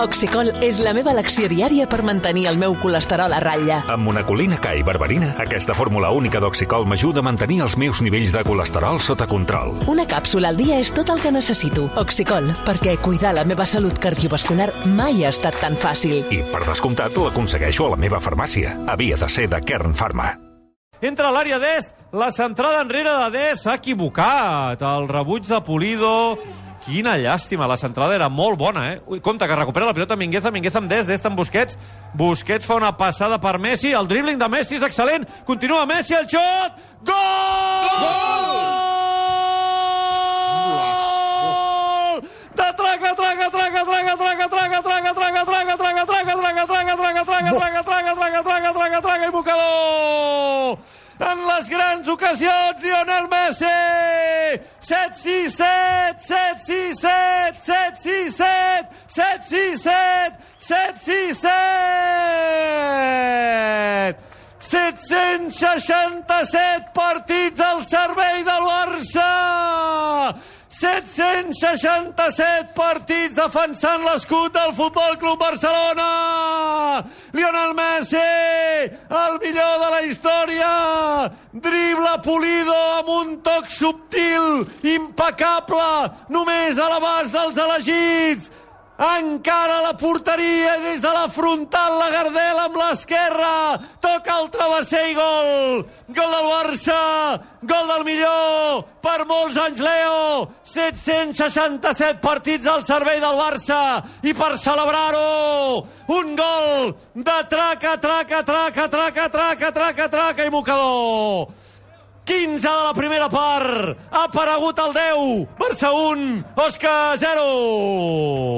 Oxicol és la meva elecció diària per mantenir el meu colesterol a ratlla. Amb monacolina K i berberina, aquesta fórmula única d'Oxicol m'ajuda a mantenir els meus nivells de colesterol sota control. Una càpsula al dia és tot el que necessito. Oxicol, perquè cuidar la meva salut cardiovascular mai ha estat tan fàcil. I, per descomptat, l'aconsegueixo a la meva farmàcia. Havia de ser de Kern Pharma. Entra a l'àrea d'Est, la centrada enrere de Dest s'ha equivocat. El rebuig de Pulido... Quina llàstima, la centrada era molt bona, Ui, compte, que recupera la pilota Mingueza amb Dest, Dest amb Busquets. Busquets fa una passada per Messi, el dribbling de Messi és excel·lent. Continua Messi, el xot! Gol! Gol! De traca, i mocador! En les grans ocasions, Lionel Messi! 7-6-7, 7-6-7, 7-6-7, 7-6-7, 7-6-7! 767 partits al servei del Barça! 767 partits defensant l'escut del Futbol Club Barcelona! Lionel Messi, el millor de la història! Dribla Pulido amb un toc subtil, impecable, només a l'abast dels elegits! Encara la porteria des de la frontal, la Gardel amb l'esquerra, toca el travesser i gol! Gol del Barça, gol del millor, per molts anys Leo, 767 partits al servei del Barça, i per celebrar-ho, un gol de traca i mocador! 15 de la primera part, ha aparegut el 10, Barça 1, Osca 0!